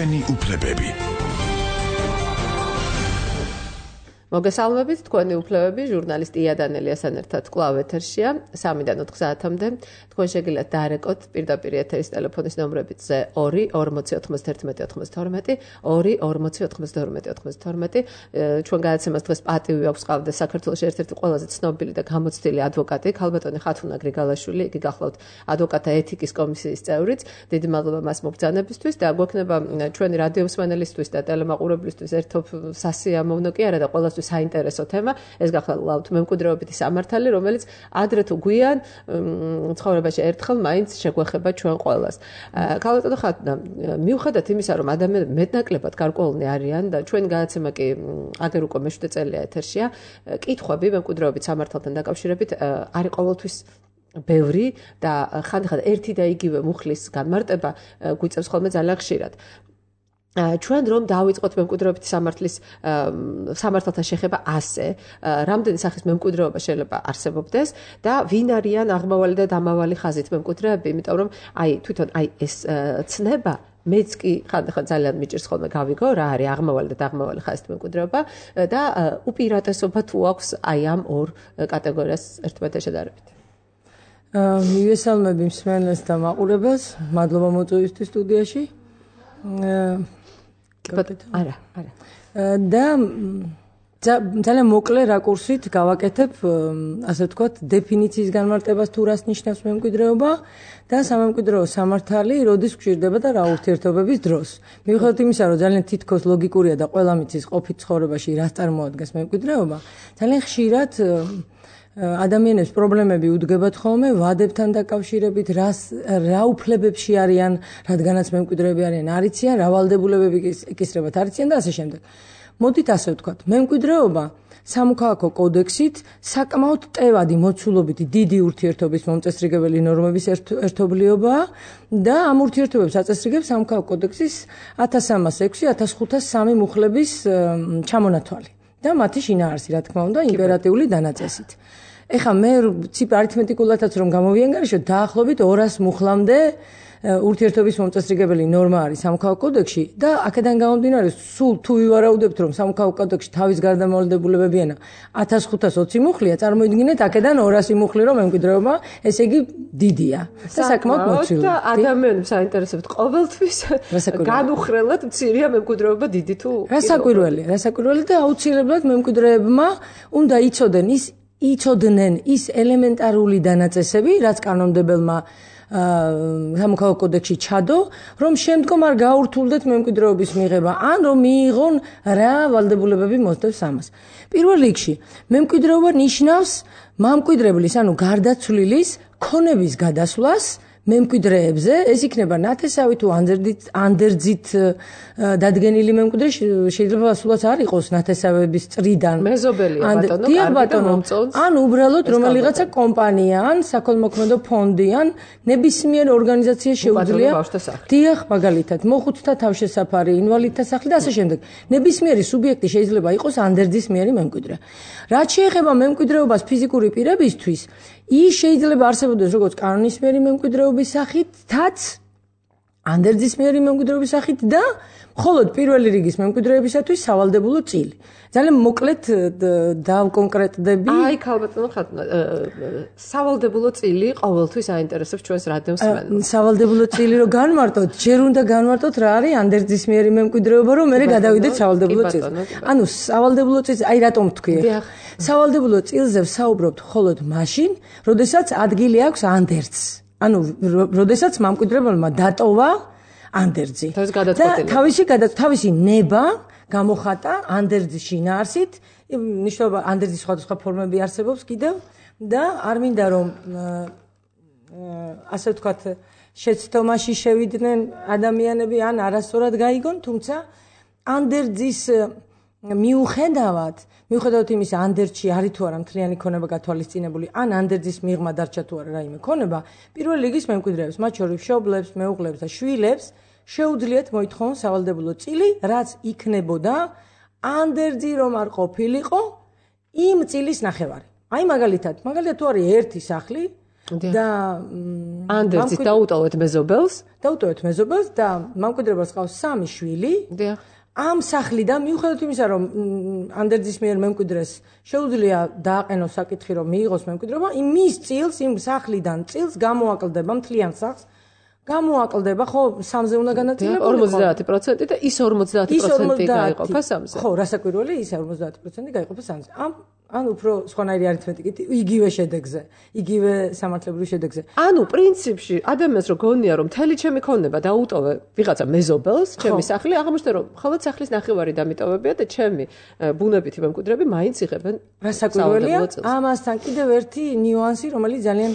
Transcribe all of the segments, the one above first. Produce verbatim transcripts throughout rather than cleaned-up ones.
ჩვენი უფლებები. მოგესალმებით, თქვენი უფლებები, ჟურნალისტი იადანელიასთან ერთად კვლავ ეთერშია, სამიდან ოთხ საათამდე. თქვენ შეგიძლიათ დაარეკოთ პირდაპირ ეთერის ტელეფონის ნომრებით ორი ორმოცი ოთხმოცდაერთმეტი ოცდაათმეტი, ორი ორმოცი ოთხმოცდაორმეტი ოცდაათმეტი. ჩვენ გადაცემას დღეს პატივი აქვს ყავდა საქართველოს ერთ-ერთი ყველაზე ცნობილი და გამოცდილი ადვოკატი, ქალბატონი ხათუნა გრიგალაშვილი, იგი გახლავთ ადვოკატთა ეთიკის კომისიის წევრიც. დიდი მადლობა მას მობრძანებისთვის და გვექნება ჩვენი რადიო მსმენელისთვის და ტელემაყურებლისთვის ერთობ სასიამოვნო კი არა და ყველა საინტერესო თემა, ეს გახლავთ მემკვიდრეობითი სამართალი, რომელიც ადრე თუ გვიან ცხოვრებაში ერთხელ მაინც შეგვეხება ჩვენ ყველას. ქალბატონო ხათუნა, მიუხედავად იმისა, რომ ადამიანები მეტნაკლებად გარკვეულნი არიან და ჩვენი გადაცემა კი აგერ უკვე მეშვიდე წელია ეთერშია, კითხვები მემკვიდრეობით სამართალთან დაკავშირებით არის ყოველთვის ბევრი და ხანდახან ერთი და იგივე მუხლის განმარტება გვიწევს ხოლმე ძალიან ხშირად. ჩვენ რომ დავიწყოთ მემკვიდრეობითი სამართლის სამართალთან შეხება ასე, რამდენი სახის მემკვიდრეობა შეიძლება არსებობდეს და ვინ არიან აღმავალი და დამავალი ხაზით მემკვიდრეები, იმიტომ რომ აი თვითონ აი ეს ცნება მეც კი ხანდახან ძალიან მიჭირს ხოლმე გავიგო რა არის აღმავალი და დამავალი ხაზით მემკვიდრეობა და უპირატესობა თუ აქვს აი ამ ორ კატეგორიას ერთმანეთთან შედარებით. მივესალმები მსმენელს და მაყურებელს, მადლობა მოწვევისთვის სტუდიაში. არა, არა. და ძალიან მოკლე რაკურსით გავაკეთებ, ასე ვთქვათ, დეფინიციის განმარტებას თუ რას ნიშნავს მემკვიდრეობა და სამემკვიდრეო სამართალი როდის გვჭირდება და რა ურთიერთობების დროს. მიუხედავად იმისა, რომ ძალიან თითქოს ლოგიკურია და ყველა მიცის ყოფით ცხოვრებაში რას წარმოადგენს მემკვიდრეობა, ძალიან ხშირად ადამიანებს პრობლემები უდგებათ ხოლმე ვადებთან დაკავშირებით, რას რა უფლებებში არიან, რადგანაც მემკვიდრეები არიან, არიციან, რა ვალდებულებები ეკისრებათ, არიციან და ასე შემდეგ. მოდით ასე ვთქვათ, მემკვიდრეობა სამოქალაქო კოდექსით საკმაოდ ტევადი მოცულობითი დიდი ურთიერთობის მომწესრიგებელი ნორმების ერთობლიობაა და ამ ურთიერთობებს აწესრიგებს სამოქალაქო კოდექსის ათას სამას ექვსი ათას ხუთას სამი მუხლების ჩამონათვალი და მათი შინაარსი, რა თქმა უნდა, იმპერატიული დანაწესით. ეხლა მე ციფრ არითმეტიკულადაც რომ გამოვიანგარიშოთ, დაახლოებით ორას მუხლამდე ურთიერთობის მომწესრიგებელი ნორმა არის სამოქალაქო კოდექსში და აქედან გამომდინარე, სულ თუ ვივარაუდებთ, რომ სამოქალაქო კოდექსში თავის გარდამავალდებულებებიანა ათას ხუთას ოცი მუხლია, წარმოიდგინეთ აქედან ორასი მუხლი რომ მემკვიდრეობა, ესე იგი დიდია და საკმაოდ მოცული. და ადამიანებს აინტერესებთ ყოველთვის განუხრელად მცირეა მემკვიდრეობა დიდი თუ რასაკვირველია, რასაკვირველია და აუცილებლად მემკვიდრეებმა უნდა იცოდენ ის იცოდნენ ის ელემენტარული დანაწესები, რაც კანონმდებელმა სამოქალაქო კოდექსში ჩადო, რომ შემდგომ არ გაურთულდეთ მემკვიდრეობის მიღება, ან რომ მიიღონ რა ვალდებულებები მოსდევს ამას. პირველ რიგში, მემკვიდრეობა ნიშნავს მამკვიდრებლის, ანუ გარდაცვლილის ქონების გადასვლას მემკვიდრეებზე, ეს იქნება ნათესავი თუ ანდერძით დადგენილი მემკვიდრე, შეიძლება სულაც არ იყოს ნათესავების წრიდან. მეზობელია ბატონო, ან უბრალოდ რომელიღაცა კომპანია, ან საქველმოქმედო ფონდი, ან ნებისმიერ ორგანიზაცია შეუძლია. დიახ, მაგალითად, მოხუცთა თავშესაფარი, ინვალიდთა სახლი და ასე შემდეგ. ნებისმიერი სუბიექტი შეიძლება იყოს ანდერძის მიერი მემკვიდრე. რაც შეეხება მემკვიდრეობას ფიზიკური პირებისთვის, ის შეიძლება არსებობდეს როგორც კანონისმიერი მემკვიდრეობის სახითაც, ანდერძის მიერი მემკვიდრეობის სახით და მხოლოდ პირველი რიგის მემკვიდრეებისათვის სავალდებულო წილი. ძალიან მოკლედ დავკონკრეტდები. აი, ქალბატონო ხათუნა, სავალდებულო წილი ყოველთვის აინტერესებს ჩვენს რადიო მსმენელს. სავალდებულო წილი რომ განმარტოთ, ჯერ უნდა განმარტოთ რა არის ანდერძის მიერი მემკვიდრეობა, რომ მერე გადავიდეთ სავალდებულო წილს. ანუ სავალდებულო წილს, აი რატომ ვთქვი? სავალდებულო წილზე ვსაუბრობთ მხოლოდ მაშინ, როდესაც ადგილი აქვს ანდერძს. ანუ როდესაც მამკვიდრებელმა დატოვა ანდერძი. თავისი თავისი ნება გამოხატა ანდერძის შინაარსით, ნიშნობა ანდერძის სხვადასხვა ფორმები არსებობს კიდევ და არ მინდა რომ ასე ვთქვათ შეცდომაში შევიდნენ ადამიანები ან არასწორად გაიგონ, თუმცა ანდერძის მიუხედავად მიუხედავად იმისა, ანდერძში არის თუ არა მთლიანი ქონება გათვალისწინებული, ან ანდერძის მიღმა დარჩა თუ არა რაიმე ქონება, პირველ რიგის მემკვიდრეებს, მათ შორის მშობლებს, მეუღლებს და შვილებს შეუძლიათ მოითხოვონ სავალდებულო წილი, რაც იქნებოდა ანდერძი რომ არ ყოფილიყო იმ წილის ნახევარი. აი მაგალითად, მაგალითად თუ არის ერთი სახლი, და ანდერძით დაუტოვეთ მეზობელს დაუტოვეთ მეზობელს და მემკვიდრეობას ყავს სამი შვილი ამ სახლიდან მიუხედავად იმისა რომ ანდერძის მიერ მემკვიდრეს შეუძლია დააყენოს საკითხი რომ მიიღოს მემკვიდრეობა იმის წილს იმ სახლიდან წილს გამოაკლდება მთლიან სახლს გამოაკლდება ხო სამზე უნდა განაწილებული ორმოცდაათი პროცენტი და ის ორმოცდაათი პროცენტი გაიყოფა სამზე ხო რასაკვირველია ის ორმოცდაათი პროცენტი გაიყოფა სამზე ამ ან უფრო სხვანაირი არითმეტიკით იგივე შედეგზე იგივე სამართლებრივ შედეგზე ანუ პრინციპში ადამიანს რო გონია რომ მთელი ჩემი ქონება დაუტოვე ვიღაცა მეზობელს ჩემი სახლი აღმოჩნდა რომ მხოლოდ სახლის ნახევარი დამიტოვებია და ჩემი ბუნებითი მემკვიდრეები მაინც იღებენ რასაკვირველია ამასთან კიდევ ერთი ნიუანსი რომელიც ძალიან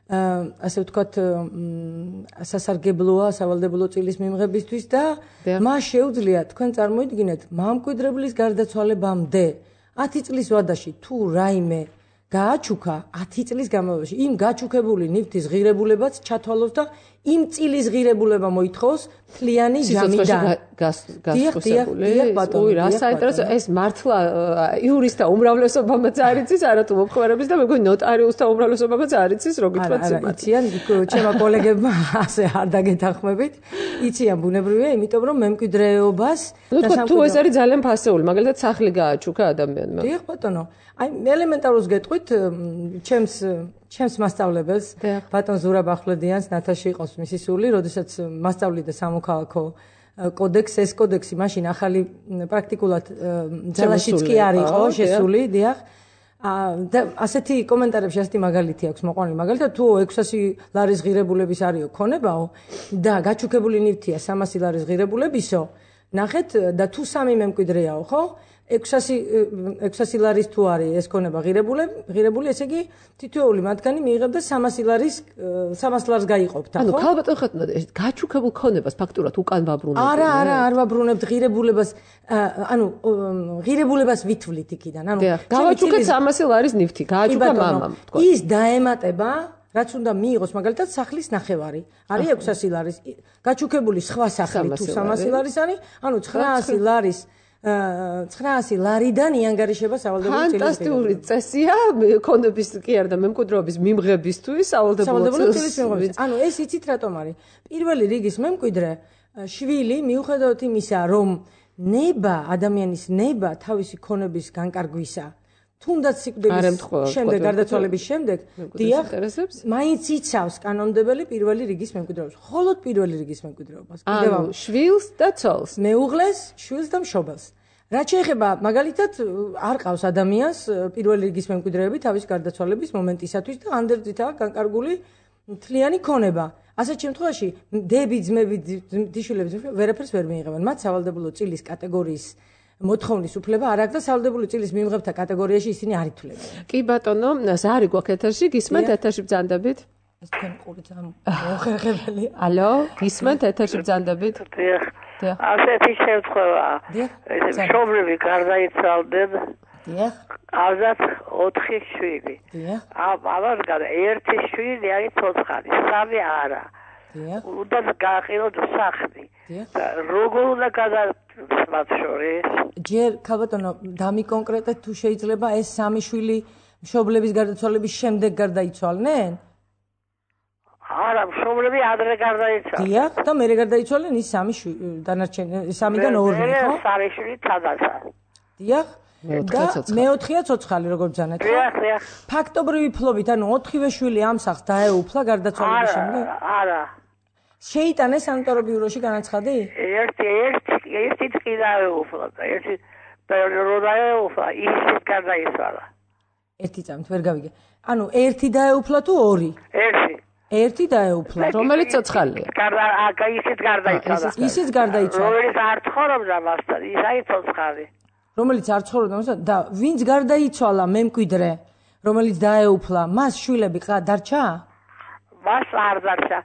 ასე ვთქვათ სასარგებლოა სავალდებულო წილის მიმღებისთვის და მას შეუძლია თქვენ წარმოიდგინეთ მემკვიდრებლის გარდაცვალებამდე ათი წლის ვადაში თუ რაიმე გააჩუქა ათი წლის განმავლობაში იმ გაჩუქებული ნივთის ღირებულებაც ჩათვალოს და იმ წილის ღირებულება მოითხოვს მთლიანი ჯამიდან გასწრებული ой რა საინტერესო ეს მართლა იურისტთა უმრავლესობამაც არ იცის არათუ მომხმარებლის და მეგონი ნოტარიუსთა უმრავლესობამაც არ იცის რო გითხრათ სიმართლე იციან ჩემო კოლეგებმა ასე არ დაგეთანხმებით იციან ბუნებრივია იმიტომ რომ მემკვიდრეობას და თუ ეს არის ძალიან ფასეული მაგალითად სახლი გააჩუქა ადამიანმა დიახ ბატონო აი ელემენტარულს გეტყვით ჩემს ჩემს მასწავლებელს ბატონ ზურაბ ახვლედიანს ნათაში იყოს მისი სული როდესაც მასწავლიდა სამოქალაქო კოდექს ეს კოდექსი მაშინ ახალი პრაქტიკულად ძალაშიც კი არ იყო შესული დიახ და ასეთი კომენტარებში ასეთი მაგალითი აქვს მოყვანილი მაგალითად თუ ექვსასი ლარის ღირებულების არისო ქონებაო და გაჩუქებული ნივთია სამასი ლარის ღირებულებისო ნახეთ და თუ სამი მემკვიდრეაო ხო ექვსასი ლარის თუ არის ეს ქონება ღირებული, ღირებული, ესე იგი თითოეული მათგანი მიიღებდა სამასი ლარის სამას ლარს გაიყოფდა, ხო? ანუ ქალბატონ ხეთნა გაჩუქებულ ქონებას ფაქტურად უკან ვაბრუნებთ. არა, არა, არ ვაბრუნებთ ღირებულებას, ანუ ღირებულებას ვითვლით იქიდან, ანუ გავაჩუქეთ სამასი ლარის ნივთი, გააჩუქა მამამ, თქვა. ის დაემატება რაც უნდა მიიღოს მაგალითად სახლის ნახევარი. არის ექვსასი ლარის. გაჩუქებული სხვა სახლი თუ სამასი ლარის არის, ანუ ცხრაასი ლარის ცხრაასი ლარიდან იანგარიშება სავალდებულო წილის. ფანტასტიკური წესია ქონების კი არა და მემკვიდრეობის მიმღებისთვის სავალდებულო წილის მიმღებისთვის. ანუ ეს იცით რატომ არის? პირველი რიგის მემკვიდრე შვილი მიუხედავად იმისა, რომ ნება ადამიანის ნება თავისი ქონების განკარგვისა თუნდაც სიკვდილის შემდეგ გარდაცვალების შემდეგ დიახ მაინც იცავს კანონმდებელი პირველი რიგის მემკვიდრეობას მხოლოდ პირველი რიგის მემკვიდრეობას კიდევ ამ შვილს და ცოლს მეუღლეს შვილს და მშობელს რაც შეეხება მაგალითად არ ყავს ადამიანს პირველი რიგის მემკვიდრეები თავის გარდაცვალების მომენტისათვის და ანდერძითაა განკარგული მთლიანი ქონება ასეთ შემთხვევაში დები ძმები დიშვილები ვერაფერს ვერ მიიღებენ მათ სავალდებულო წილის კატეგორიის მოთხოვნის უფლება არ აქვს და სავალდებულო წილის მიმღებთა კატეგორიაში ისინი არ ითვლებიან. კი ბატონო, ზარი გვაქვს ეთერში, გისმენთ ეთერში ბრძანდებით? ეს თქვენ ყური ძალიან მოხერხებელია. ალო, გისმენთ ეთერში ბრძანდებით? დიახ. ასეთი შემთხვევაა. ეს მშობლები გარდაიცვალდნენ. დიახ. ავზათ ოთხი შვილი. დიახ. ამასგან ერთი შვილი არის ცოცხალი, სამი არა. დიახ. უნდა გააყენოთ სახლი. დიახ. როგორ უნდა გადასმათ შორის? ჯერ ქალბატონო, დამიკონკრეტეთ თუ შეიძლება ეს სამი შვილი მშობლების გარდაცვალების შემდეგ გარდაიცვალნენ? არა, მშობლები ადრე გარდაიცვალნენ. დიახ, და მერე გარდაიცვალნენ ის სამი დანარჩენი სამიდან ორი, ხო? სამი შვილი თადასა. დიახ. და მეოთხეა ცოცხალი, როგორ ბრძანეთ, ხო? დიახ, დიახ. ფაქტობრივი ფლობით, ანუ ოთხივე შვილი ამ სახლს დაეუფლა გარდაცვალების შემდეგ? არა. შეიტანეს სანიტორო ბიუროში განაცხადი? ერთი ერთი ერთი ტყი დაეუფლა და ერთი რო დაეუფლა ისიც გარდაიცვალა. ერთი წამით ვერ გავიგე. ანუ ერთი დაეუფლა თუ ორი? ერთი. ერთი დაეუფლა. რომელიც ცოცხალია. გარდა ისიც გარდაიცვალა. ისიც გარდაიცვალა. რომელიც არ ცხოვრობდა მასთან, ის არის ცოცხალი. რომელიც არ ცხოვრობდა მასთან და ვინც გარდაიცვალა მემკვიდრე, რომელიც დაეუფლა, მას შვილები დარჩა? მას არ დარჩა.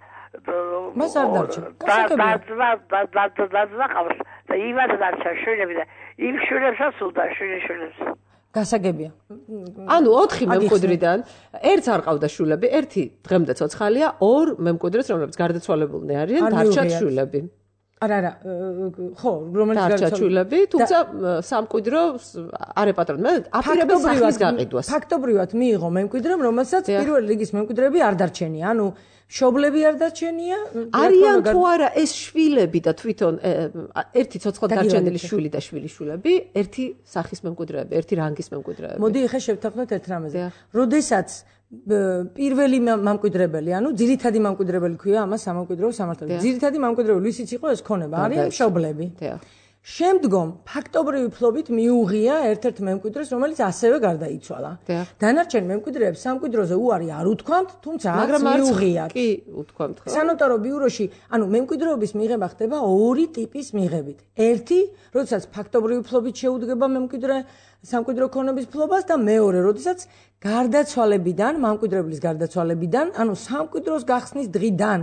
მას არ დარჩა. გასაგებია. და იმას დარჩა შვილები და იმ შვილებსაც უნდა შვილი შვილებს. გასაგებია. ანუ ოთხი მემკვიდრიდან ერთს არ ყავდა შვილები, ერთი დღემდე ცოცხალია, ორ მემკვიდრეს, რომლებიც გარდაცვალებულნი არიან, დარჩათ შვილები. არა არა ხო რომელიც გარდაცვალები თუმცა სამკვიდრო არ ეპატრონებდა აპირებენ სახლის გაყიდვას ფაქტობრივად მიიღო მემკვიდრემ რომელსაც პირველი რიგის მემკვიდრეები არ დარჩენია ანუ მშობლები არ დარჩენია არიან თუ არა ეს შვილები და თვითონ ერთი ცოცხლად დარჩენილი შვილი და შვილიშვილები ერთი სახის მემკვიდრეები ერთი რანგის მემკვიდრეები მოდი ახლა შევთანხმდეთ ერთ რამეზე როდესაც პირველი მემკვიდრებელი ანუ ძირითადი მემკვიდრებელი ქვია ამას სამემკვიდრეო სამართალში ძირითადი მემკვიდრებელი ვისიც იყო ეს ქონება არიან მშობლები შემდგომ ფაქტობრივი ფლობით მიუღია ერთ-ერთ მემკვიდრეს რომელიც ასევე გარდაიცვალა დანარჩენ მემკვიდრეებს სამკვიდროზე უარი არ უთქვამთ თუმცა მაგრამ მიუღიათ კი უთქვამთ ხო სანოტარო ბიუროში ანუ მემკვიდრეობის მიღება ხდება ორი ტიპის მიღებით ერთი როდესაც ფაქტობრივი ფლობით შეუდგება მემკვიდრე სამკვიდრო ქონების ფლობას და მეორე როდესაც გარდაცვალებიდან მემკვიდრებლის გარდაცვალებიდან ანუ სამკვიდროს გახსნის დღიდან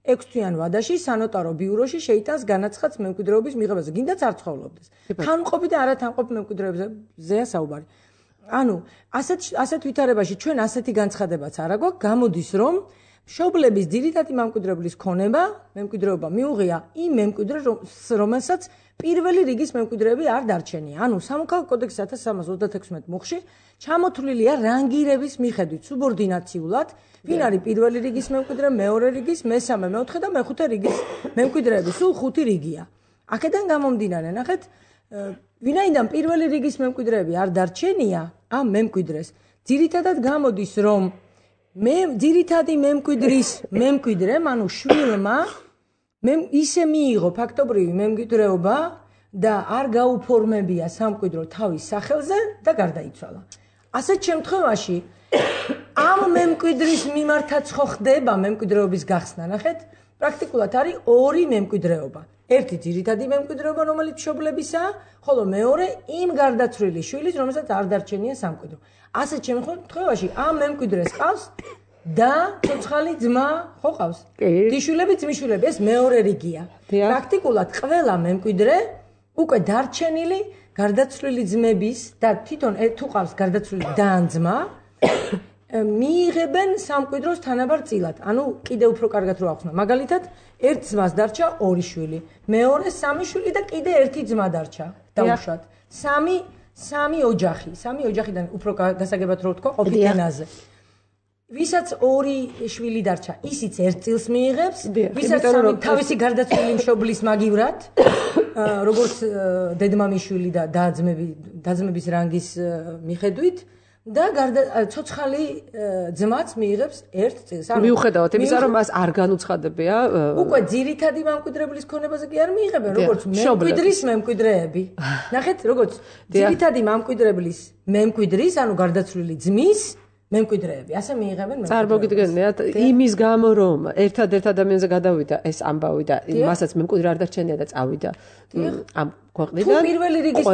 ექვსთვიან ვადაში სანოტარო ბიუროში შეიტანს განაცხადს მემკვიდრეობის მიღებაზე. გინდაც არ ცხოვრობდეს. თანმყოფი და არათანმყოფი მემკვიდრეებზეა საუბარი. ანუ ასეთ ასეთ ვითარებაში ჩვენ ასეთი განცხადებაც არ აგვაქვს, გამოდის რომ მშობლების ძირითადი მემკვიდრეობის ქონება, მემკვიდრეობა მიუღია იმ მემკვიდრეს, რომელსაც პირველი რიგის მემკვიდრეები არ დარჩენია. ანუ სამოქალაქო კოდექსის ათას სამას ოცდათექვსმეტ მუხლში ჩამოთვლილია რანგირების მიხედვით სუბორდინაციულად ვინ არის პირველი რიგის მემკვიდრე, მეორე რიგის, მესამე, მეოთხე და მეხუთე რიგის მემკვიდრეები, სულ ხუთი რიგია. აქედან გამომდინარე, ნახეთ, ვინაიდან პირველი რიგის მემკვიდრეები არ დარჩენია ამ მემკვიდრეს, ძირითადად გამოდის, რომ მე ძირითადი მემკვიდრის მემკვიდრემ, ანუ შვილმა, მე ისე მიიღო ფაქტობრივი მემკვიდრეობა და არ გაუფორმებია სამკვიდრო თავის სახელზე და გარდაიცვალა. ასეთ შემთხვევაში ამ მემკვიდრის მიმართაც ხო ხდება მემკვიდრეობის გახსნა, ნახეთ, პრაქტიკულად არის ორი მემკვიდრეობა. ერთი ძირითადი მემკვიდრეობა, რომელიც მშობლებისაა, ხოლო მეორე იმ გარდაცვლილი შვილის, რომელსაც არ დარჩენია სამკვიდრო. ასეთ შემთხვევაში ამ მემკვიდრეს ყავს და ცოცხალი ძმა ხო ყავს? დიშვილები, ძმისშვილები, ეს მეორე რიგია. პრაქტიკულად ყველა მემკვიდრე უკვე დარჩენილი გარდაცვლილი ძმების და თვითონ თუ ყავს გარდაცვლილი და ან ძმა მიიღებენ სამკვიდროს თანაბარ წილად. ანუ კიდე უფრო კარგად რო ახსნა. მაგალითად, ერთ ძმას დარჩა ორი შვილი, მეორე სამი შვილი და კიდე ერთი ძმა დარჩა. დაუშვათ. სამი სამი ოჯახი, სამი ოჯახიდან უფრო გასაგებად რო ვთქვა ყოფილი ენაზე. ვისაც ორი შვილი დარჩა, ისიც ერთ წილს მიიღებს, ვისაც სამი თავისი გარდაცვლილი მშობლის მაგივრად, როგორც დედმამიშვილი და დაძმები, დაძმების რანგის მიხედვით და ცოცხალი ძმაც მიიღებს ერთ წელს. მიუხედავად იმისა, რომ მას არ განუცხადებია უკვე ძირითადი მემკვიდრებლის ქონებაზე კი არ მიიღებენ, როგორც მემკვიდრის მემკვიდრეები. ნახეთ, როგორც ძირითადი მემკვიდრებლის მემკვიდრის, ანუ გარდაცვლილი ძმის მემკვიდრეები, ასე მიიღებენ მემკვიდრეებს. წარმოგიდგენიათ, იმის გამო რომ ერთადერთ ადამიანზე გადავიდა ეს ამბავი და მასაც მემკვიდრე არ დარჩენია და წავიდა ამ ქვეყნიდან. თუ პირველი რიგის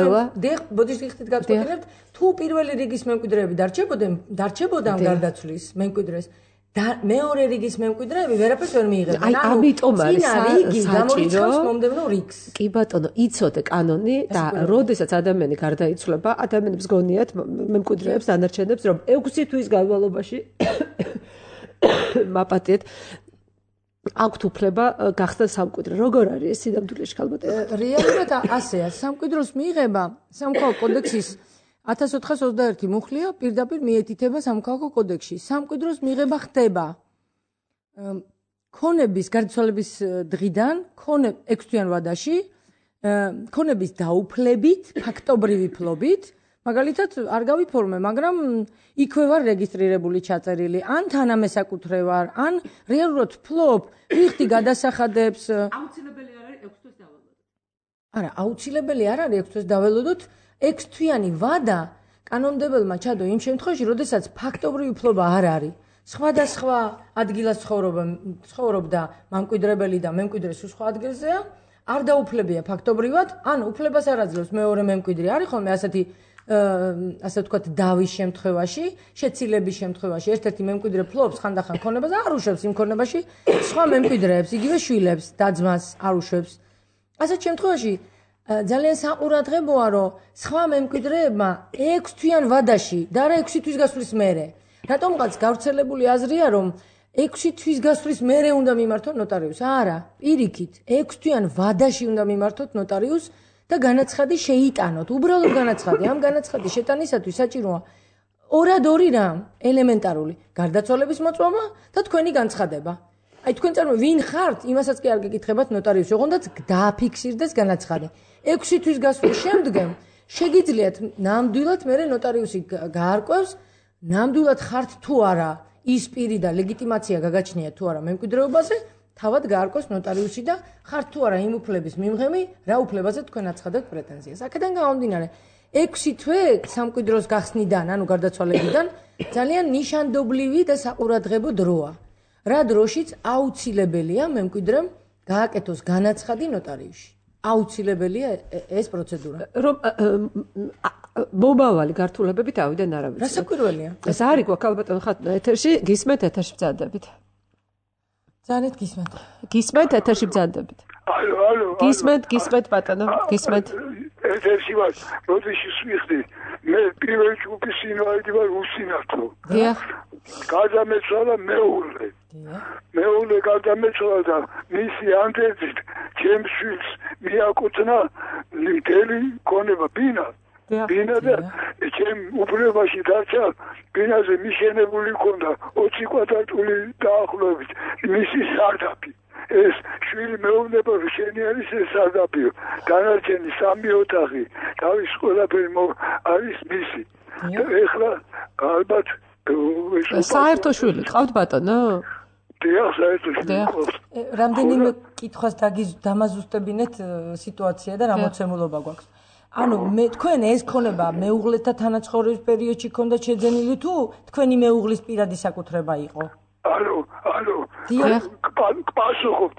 ბოდიშ ხით გაწყვეტილებთ, თუ პირველი რიგის მემკვიდრეები დარჩებოდნენ, დარჩებოდან გარდაცვლის მემკვიდრეს და მეორე რიგის მემკვიდრეები ვერაფერს ვერ მიიღებენ. აი, ამიტომ არის საჭირო მომდევნო რიგს. კი ბატონო, იცოდე კანონი და როდესაც ადამიანი გარდაიცვლება, ადამიანებს გონიათ მემკვიდრეებს დანარჩენებს, რომ ექვსი თვის განმავლობაში მაპატიეთ აქვთ უფლება გახსნას სამკვიდრე. როგორ არის ეს სინამდვილეში ხალბატონო? რეალურად ასეა, სამკვიდროს მიიღება სამოქალაქო კოდექსის ათას ოთხას ოცდაერთი მუხლია პირდაპირ მიეთითება სამოქალაქო კოდექსში. სამკვიდროს მიღება ხდება ქონების გარდაცვალების დღიდან, ექვსთვიან ვადაში, ქონების დაუფლებით, ფაქტობრივი ფლობით, მაგალითად არ გავიფორმე, მაგრამ იქვე ვარ რეგისტრირებული, ჩაწერილი, ან თანამესაკუთრე ვარ, ან რეალურად ფლობ, ვიხდი გადასახადებს. აუცილებელი არ არის ექვსი თვის დაველოდოთ. არა, აუცილებელი არ არის ექვსი თვის დაველოდოთ. ექვსთვიანი ვადა კანონმდებელმა ჩადო იმ შემთხვევაში, როდესაც ფაქტობრივი ფლობა არ არის. სხვადასხვა ადგილას ცხოვრობდა მემკვიდრებელი და მემკვიდრე სულ სხვა ადგილზეა, არ დაუფლებია ფაქტობრივად, ან უფლებას არ აძლევს მეორე მემკვიდრე. არის ხოლმე ასეთი ასე ვთქვათ, დავის შემთხვევაში, შეცილების შემთხვევაში, ერთ-ერთი მემკვიდრე ფლობს ხანდახან ქონებას და არ უშვებს იმ ქონებაში სხვა მემკვიდრეებს, იგივე შვილებს, და-ძმას არ უშვებს. ასეთ შემთხვევაში ძალიან საყურადღებოა, რომ სხვა მემკვიდრეებმა ექვსთვიან ვადაში და არა ექვსი თვის გასვლის მერე. რატომღაც გავრცელებული აზრია, რომ ექვსი თვის გასვლის მერე უნდა მიმართოთ ნოტარიუსს. არა, პირიქით, ექვსი თვიან ვადაში უნდა მიმართოთ ნოტარიუსს და განაცხადი შეიტანოთ. უბრალოდ განაცხადი. ამ განაცხადის შეტანისათვის საჭიროა ორად ორი რამ, ელემენტარული, გარდაცვალების მოწმობა და თქვენი განცხადება. აი თქვენ წარმოიდგინეთ, ვინ ხართ, იმასაც კი არ გეკითხებათ ნოტარიუსს, ოღონდ დააფიქსირდეს განაცხადი. ექვსი თვის გასვლის შემდგომ შეგიძლიათ ნამდვილად მერე ნოტარიუსი გაარკვევს, ნამდვილად ხართ თუ არა ის პირი და ლეგიტიმაცია გაგაჩნია თუ არა მემკვიდრეობაზე, თავად გაარკვევს ნოტარიუსი და ხართ თუ არა იმ უფლების მიმღები, რა უფლებაზე თქვენ აცხადებთ პრეტენზიას. აქედან გამომდინარე, ექვსი თვე სამკვიდროს გახსნიდან, ანუ გარდაცვალებიდან ძალიან ნიშანდობლივი და საყურადღებო დროა. რა დროშიც აუცილებელია მემკვიდრემ გააკეთოს განაცხადი ნოტარიუსში. აუცილებელია ეს პროცედურა. რომ მომავალი გართულებებით ავიდან არავის. რა საკვირველია? ეს არის გვაქვს ალბათ ხათ ეთერში, გისმენთ ეთერში ბრძანდებით. ძალიან გისმენთ. გისმენთ ეთერში ბრძანდებით. ალო, ალო. გისმენთ, გისმენთ ბატონო, გისმენთ. ეთერში ვარ, როდეში ვიხდი, მე პირველი ჯგუფის ინვალიდი ვარ უსინათლო. დიახ. გადამეცვალა მეუღლე. მეუღლე გადამეცვალა და მისი ანდერძით ჩემს შვილს მიაკუთვნა მთელი ქონება ბინა. ბინა და ჩემ უფლებაში დარჩა ბინაზე მიშენებული ქონდა ოცი კვადრატული დაახლოებით მისი სარდაფი. ეს შვილი მეუბნება რომ შენი არის ეს სარდაფიო. დანარჩენი სამი ოთახი თავის ყველაფერი არის მისი. ეხლა ალბათ საერთო შვილი ყავთ ბატონო? დიახ, საერთო შვილი. რამდენიმე კითხვას დამაზუსტებინეთ სიტუაცია და რა მოცემულობა გვაქვს. ანუ მე თქვენ ეს ქონება მეუღლეთა თანაცხოვრების პერიოდში ქონდა შეძენილი თუ თქვენი მეუღლის პირადი საკუთრება იყო? ალო, ალო. პასუხობთ,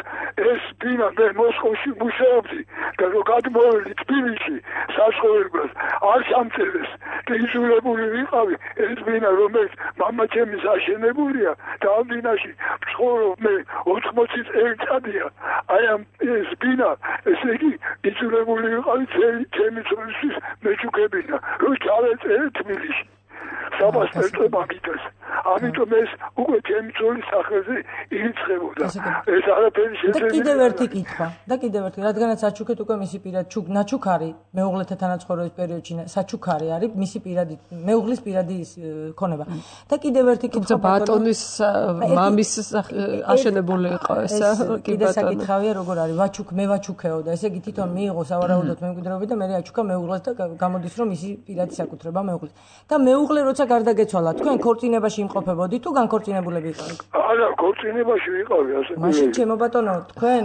ეს ბინა მე მოსკოვში მუშაობდი და რო გადმოვედი თბილისში საცხოვრებლად არ სამწერეს და იზოლებული ვიყავი. ეს ბინა რომელიც მამაჩემის აშენებულია და ამ ბინაში ვცხოვრობ მე ოთხმოცი წელიწადია. აი ამ ეს ბინა ესე იგი იზოლებული ვიყავი ჩემი წლისთვის მეჩუქებინა რო ჩავეწერე თბილისში. საბასტო მაგიტეს. ამიტომ ეს უკვე ჩემი წოლის სახელზე ირიცხებოდა. ეს არაფერი შეძენილი. და კიდევ ერთი კითხვა. და კიდევ ერთი, რადგანაც საჩუქეთ უკვე მისი პირადი ჩუქ ნაჩუქარი მეუღლეთა თანაცხოვრების პერიოდში საჩუქარი არის მისი პირადი მეუღლის პირადი ქონება. და კიდევ ერთი კითხვა ბატონის მამის აშენებული იყო ესა კი ბატონო. კიდე საკითხავია როგორ არის ვაჩუქ მე ვაჩუქეო და ესე იგი თვითონ მიიღო სავარაუდოდ მემკვიდრეობები და მე აჩუქა მეუღლეს და გამოდის რომ მისი პირადი საკუთრება მეუღლის. და მეუღლე როცა გარდაგეცვალა, თქვენ ქორწინებაში იმყოფებოდი თუ განქორწინებულები იყავით? არა, ქორწინებაში ვიყავი, ასე. მაშინ ჩემო ბატონო, თქვენ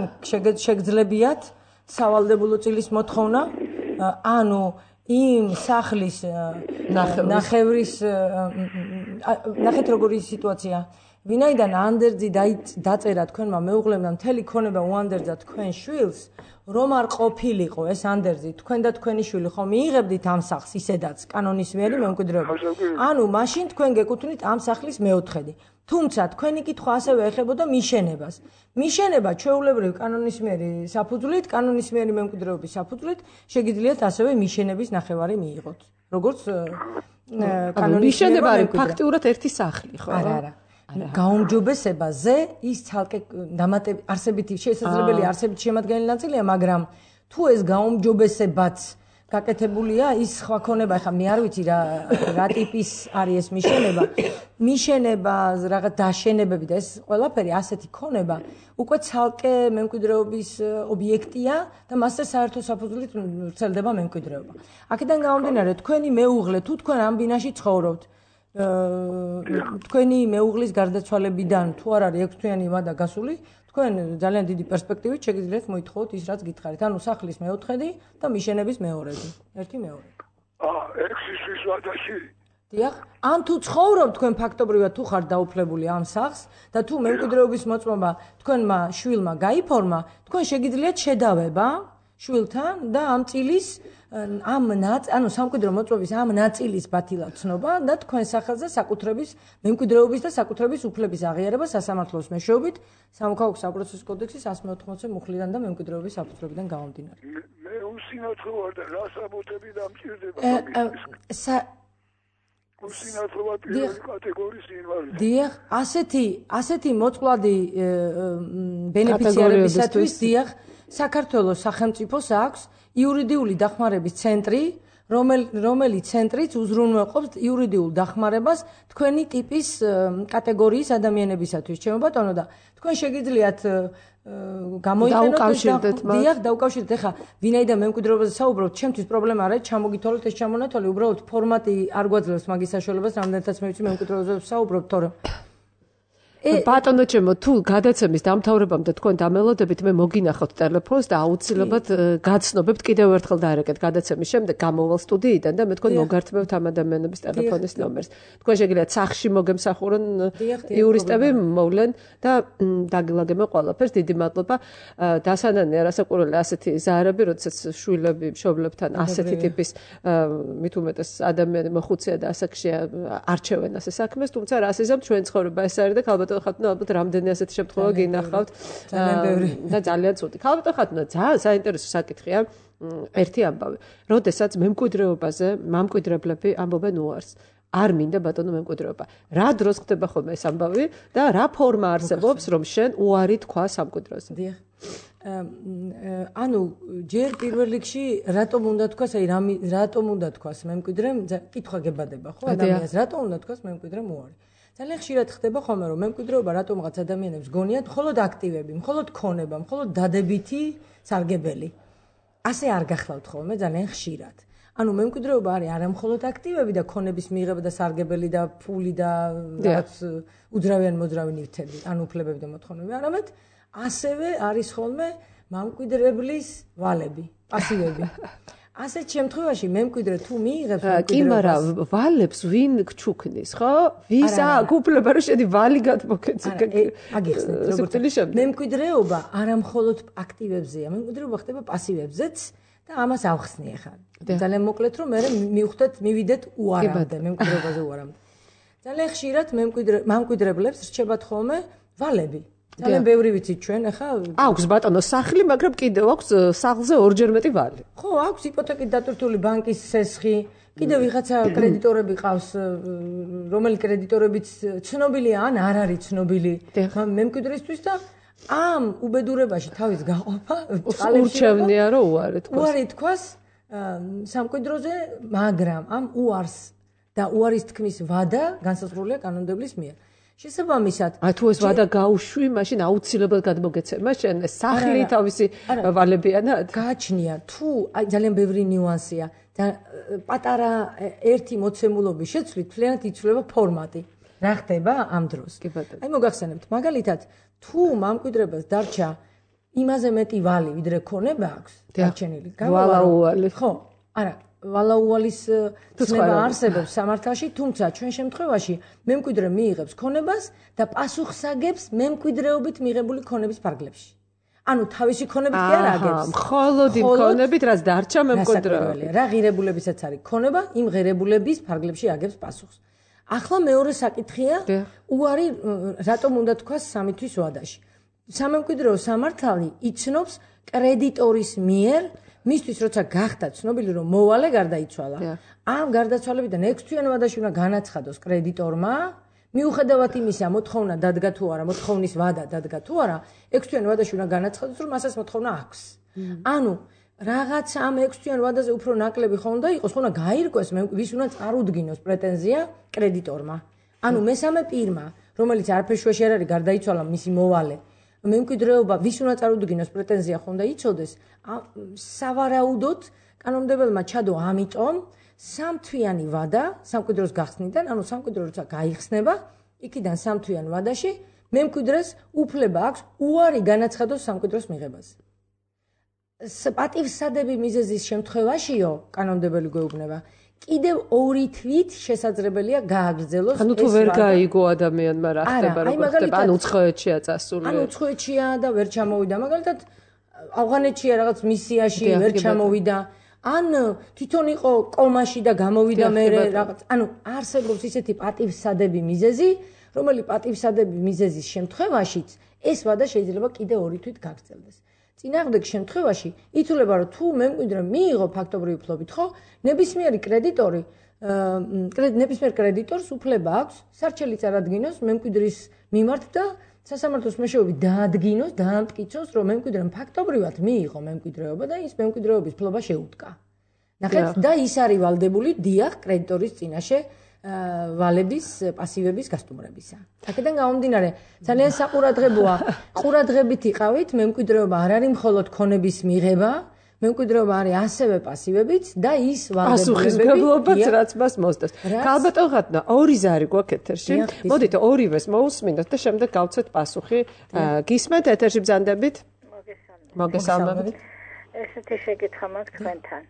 შეგძლებიათ სავალდებულო წილის მოთხოვნა, ანუ იმ სახლის ნახევრის ნახეთ როგორი სიტუაცია. ვინაიდან ანდერძი დაწერა თქვენმა მეუღლემ და მთელი ქონება უანდერძა თქვენ შვილს, რომ არ ყოფილიყო ეს ანდერძი, თქვენ და თქვენი შვილი ხომ მიიღებდით ამ სახლს ისედაც კანონისმიერი მემკვიდრეობა. ანუ მაშინ თქვენ გეკუთვნით ამ სახლის მეოთხედი. თუმცა თქვენი კითხვა ასევე ეხებოდა მიშენებას. მიშენება ჩვეულებრივ კანონისმიერი საფუძვლით, კანონისმიერი მემკვიდრეობის საფუძვლით შეგიძლიათ ასევე მიშენების ნახევარი მიიღოთ. როგორც კანონისმიერი მიშენება არის ფაქტიურად ერთი სახლი, ხო? არა, არა. გაუმჯობესებაზე ის ცალკე დამატებით არსებითი შესაძლებელი არსებითი შემადგენელი ნაწილია, მაგრამ თუ ეს გაუმჯობესებაც გაკეთებულია, ის სხვა ქონება, ხა მე არ ვიცი რა რა ტიპის არის ეს მიშენება. მიშენება, რაღაც დაშენებები და ეს ყველაფერი ასეთი ქონება უკვე ცალკე მემკვიდრეობის ობიექტია და მასზე საერთო საფუძვლით ვრცელდება მემკვიდრეობა. აქედან გამომდინარე, თქვენი მეუღლე თუ თქვენ ამ ბინაში ცხოვრობთ, თქვენი მეუღლის გარდაცვალებიდან თუ არ არის ექვსთვიანი ვადა გასული, თქვენ ძალიან დიდი პერსპექტივით შეგიძლიათ მოითხოვოთ ის რაც გითხარით, ანუ სახლის მეოთხედი და მიშენების მეორედი, ერთი მეორე. აა, ექვსი თვის ვადაში. დიახ, ან თუ ცხოვრობთ თქვენ ფაქტობრივად თუ ხართ დაუფლებული ამ სახლს და თუ მემკვიდრეობის მოწმობა თქვენმა შვილმა გაიფორმა, თქვენ შეგიძლიათ შედავება შვილთან და ამ წილის ამ ანუ სამკვიდრო მოწმობის ამ ნაწილის ბათილად ცნობა და თქვენ სახელზე საკუთრების მემკვიდრეობის და საკუთრების უფლების აღიარება სასამართლოს მეშვეობით სამოქალაქო საპროცესო კოდექსის εκατს მეოთხმოცი მუხლიდან და მემკვიდრეობის საფუძვლებიდან გამომდინარე. მე უსინათლო ვარ და რა საბუთები დამჭირდება? უსინათლობა პირველი კატეგორიის ინვალიდი. დიახ, ასეთი ასეთი მოწყვლადი ბენეფიციარებისათვის დიახ, საქართველოს სახელმწიფოს აქვს იურიდიული დახმარების ცენტრი, რომელიც ცენტრიც უზრუნველყოფს იურიდიულ დახმარებას თქვენი ტიპის კატეგორიის ადამიანებისათვის. ჩემო ბატონო და თქვენ შეგიძლიათ გამოიყენოთ დიახ, დაუკავშირეთ. ეხლა ვინაიდან მემკვიდრეობაზე საუბრობთ, ჩემთვის პრობლემა არ არის, ჩამოგითვალოთ ეს ჩამონათვალი, უბრალოდ ფორმატი არ გვაძლევს მაგის საშუალებას, რამდენადაც მე ვიცი მემკვიდრეობაზე საუბრობთ, თორემ ბატონო ჩემო, თუ გადაცემის დამთავრებამდე თქვენ დამელოდებით, მე მოგინახავთ ტელეფონს და აუცილებლად გაცნობებთ კიდევ ერთხელ დაარეკეთ გადაცემის შემდეგ გამოვალ სტუდიიდან და მე თქვენ მოგართმევთ ამ ადამიანების ტელეფონის ნომერს. თქვენ შეგიძლიათ სახში მოგემსახურონ იურისტები მოვლენ და დაგილაგებენ ყველაფერს. დიდი მადლობა. დასანანე არასაკურველი ასეთი ზაარები, როდესაც შვილები მშობლებთან ასეთი ტიპის მით უმეტეს ადამიანი მოხუცია და ასაკშია არჩევენ ასე საქმეს, თუმცა რას იზამთ ჩვენ ცხოვრება ეს არის და ქალბატონო ხათუნა ალბათ რამდენი ასეთი შემთხვევა გინახავთ და ძალიან ცუდი. ქალბატონო ხათუნა ძალიან საინტერესო საკითხია ერთი ამბავი. როდესაც მემკვიდრეობაზე მამკვიდრებლები ამბობენ უარს. არ მინდა ბატონო მემკვიდრეობა. რა დროს ხდება ხოლმე ეს ამბავი და რა ფორმა არსებობს რომ შენ უარი თქვა სამკვიდროზე? დიახ. ანუ ჯერ პირველ რიგში რატომ უნდა თქვას, აი რატომ უნდა თქვას მემკვიდრემ, კითხვა გებადება ხო ადამიანს, რატომ უნდა თქვას მემკვიდრემ უარი? ძალიან ხშირად ხდება ხოლმე რომ მემკვიდრეობა რატომღაც ადამიანებს გონიათ მხოლოდ აქტივები, მხოლოდ ქონება, მხოლოდ დადებითი სარგებელი. ასე არ გახლავთ ხოლმე ძალიან ხშირად. ანუ მემკვიდრეობა არის არა მხოლოდ აქტივები და ქონების მიღება და სარგებელი და ფული და რაღაც უძრავიან მოძრავი ნივთები, ან უფლებები და მოთხოვნები, არამედ ასევე არის ხოლმე მამკვიდრებლის ვალები, პასივები. ასეთ შემთხვევაში მემკვიდრე თუ მიიღებს კი, მაგრამ ვალებს ვინ გჩუქნის, ხო? ვის აქვს უფლება რომ შედი ვალი გადმოგეცე? აგიხსნით, როგორც მემკვიდრეობა არა მხოლოდ აქტივებზეა, მემკვიდრეობა ხდება პასივებზეც და ამას ავხსნი ახლა. ძალიან მოკლედ რომ მე მივხვდეთ, მივიდეთ უარამდე, მემკვიდრეობაზე უარამდე. ძალიან ხშირად მემკვიდრე მამკვიდრებლებს რჩებათ ხოლმე ვალები. ძალიან ბევრი ვიცით ჩვენ, ახლა აქვს ბატონო სახლი, მაგრამ კიდევ აქვს სახლზე ორჯერ მეტი ვალი. ხო, აქვს იპოთეკით დატვირთული ბანკის სესხი, კიდევ ვიღაცა კრედიტორები ყავს, რომელი კრედიტორებიც ცნობილია ან არ არის ცნობილი მემკვიდრისთვის და ამ უბედურებაში თავის გაყოფა ურჩევნია რომ უარი თქვას. უარი თქვას სამკვიდროზე, მაგრამ ამ უარს და უარის თქმის ვადა განსაზღვრულია კანონმდებლის მიერ. შესაბამისად, აი თუ ეს ვადა გაუშვი, მაშინ აუცილებლად გადმოგეცემა შენ სახლი თავისი ვალებიანად? გააჩნია, თუ აი ძალიან ბევრი ნიუანსია და პატარა ერთი მოცემულობის შეცვლით მთლიანად იცვლება ფორმატი. რა ხდება ამ დროს? აი მოგახსენებთ, მაგალითად, თუ მამკვიდრებას დარჩა იმაზე მეტი ვალი, ვიდრე ქონება აქვს, დარჩენილი. ვალაუვალი. ხო, არა ვალაუვალის ცნება არსებობს სამართალში, თუმცა ჩვენ შემთხვევაში მემკვიდრე მიიღებს ქონებას და პასუხსაგებს მემკვიდრეობით მიღებული ქონების ფარგლებში. ანუ თავისი ქონებით კი არ აგებს. მხოლოდ იმ ქონებით, რაც დარჩა მემკვიდრეობა. რა ღირებულებისაც არის ქონება, იმ ღირებულების ფარგლებში აგებს პასუხს. ახლა მეორე საკითხია, უარი რატომ უნდა თქვას სამი თვის ვადაში. სამემკვიდრეო სამართალი იცნობს კრედიტორის მიერ მისთვის როცა გახდა ცნობილი რომ მოვალე გარდაიცვალა, ამ გარდაცვალებიდან ექვს თვიან ვადაში უნდა განაცხადოს კრედიტორმა, მიუხედავად იმისა, მოთხოვნა დადგა თუ არა, მოთხოვნის ვადა დადგა თუ არა, ექვს თვიან ვადაში უნდა განაცხადოს, რომ მასაც მოთხოვნა აქვს. ანუ რაღაც ამ ექვს თვიან ვადაზე უფრო ნაკლები ხომ უნდა იყოს, ხომ უნდა გაირკვეს, ვის უნდა წარუდგინოს პრეტენზია კრედიტორმა. ანუ მესამე პირმა, რომელიც არაფერში არ არის გარდაიცვალა მისი მოვალე, მემკვიდრეობა ვის უნდა წარუდგინოს პრეტენზია ხომ და იცოდეს, სავარაუდოდ კანონმდებელმა ჩადო ამიტომ სამთვიანი ვადა სამკვიდროს გახსნიდან, ანუ სამკვიდრო როცა გაიხსნება, იქიდან სამთვიან ვადაში მემკვიდრეს უფლება აქვს უარი განაცხადოს სამკვიდროს მიღებაზე. პატივსადები მიზეზის შემთხვევაშიო კანონმდებელი გვეუბნება, კიდევ ორი თვით შესაძლებელია გააგრძელოს ეს. ანუ თუ ვერ გაიგო ადამიანმა რა ხდება, როგორ ხდება, ანუ უცხოეთშია წასული. ანუ უცხოეთშია და ვერ ჩამოვიდა, მაგალითად ავღანეთშია რაღაც მისიაში ვერ ჩამოვიდა, ან თვითონ იყო კომაში და გამოვიდა მერე რაღაც. ანუ არსებობს ისეთი პატივსადები მიზეზი, რომელი პატივსადები მიზეზის შემთხვევაშიც ეს ვადა შეიძლება კიდევ ორი თვით გაგრძელდეს. წინააღმდეგ შემთხვევაში ითვლება, რომ თუ მემკვიდრე მიიღო ფაქტობრივი ფლობით, ხო, ნებისმიერი კრედიტორი ნებისმიერ კრედიტორს უფლება აქვს სარჩელი წარადგინოს მემკვიდრის მიმართ და სასამართლოს მეშვეობით დაადგინოს, დაამტკიცოს, რომ მემკვიდრემ ფაქტობრივად მიიღო მემკვიდრეობა და ის მემკვიდრეობის ფლობა შეუდგა. ნახეთ, და ის არის ვალდებული დიახ კრედიტორის წინაშე ვალების პასივების გასტუმრებისა. აქედან გამომდინარე, ძალიან საყურადღებოა, ყურადღებით იყავით, მემკვიდრეობა არ არის მხოლოდ ქონების მიღება, მემკვიდრეობა არის ასევე პასივებიც და ის ვალდებულებები პასუხისმგებლობაც რაც მას მოსდევს. ალბათო ხატნა, ორი ზარი გვაქვს ეთერში. მოდით ორივეს მოусმინოთ და შემდეგ გავცეთ პასუხი. გისმენთ ეთერში ბრძანდებით? მოგესალმებით. ესეთი შეკითხვა მაქვს თქვენთან.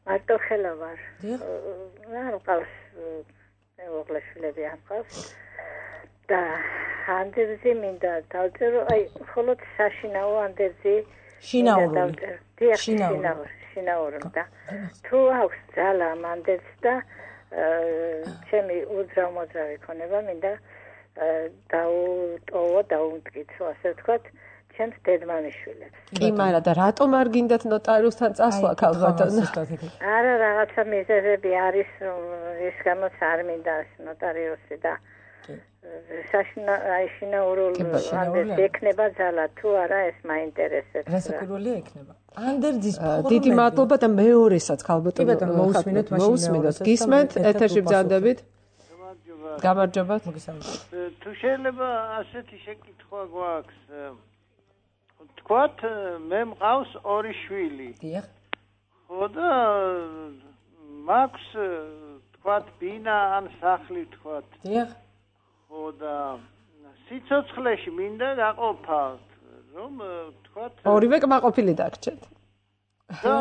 მარტო ხელა ვარ. არ მყავს მეუღლე შვილები არ მყავს. და ანდერძი მინდა დავწერო, აი, მხოლოდ საშინაო ანდერძი შინაური. შინაური. შინაური და თუ აქვს ძალა ანდერძს და ჩემი უძრავ-მოძრავი ქონება მინდა დაუტოვო, დაუმტკიცო, ასე ვთქვათ, ჩემს დედმამიშვილებს. კი, მაგრამ და რატომ არ გინდათ ნოტარიუსთან წასვლა ქალბატონო? არა, რაღაცა მიზეზები არის, ის გამოც არ მინდა ნოტარიუსი და საშინა აი შინაურულ ანდერძს ექნება ძალა თუ არა ეს მაინტერესებს. რასაკვირველია ექნება. ანდერძის ფორმები. დიდი მადლობა და მეორესაც ქალბატონო. მოусმინოთ მაშინ მოусმინოთ. გისმენთ ეთერში ბრძანდებით? გამარჯობა. თუ შეიძლება ასეთი შეკითხვა გვაქვს. თქვათ მე მყავს ორი შვილი. დიახ. ხო და მაქვს თქვათ ბინა ან სახლი თქვათ. დიახ. ხო და სიცოცხლეში მინდა გაყოფა რომ თქვათ ორივე კმაყოფილი დაგჭეთ. და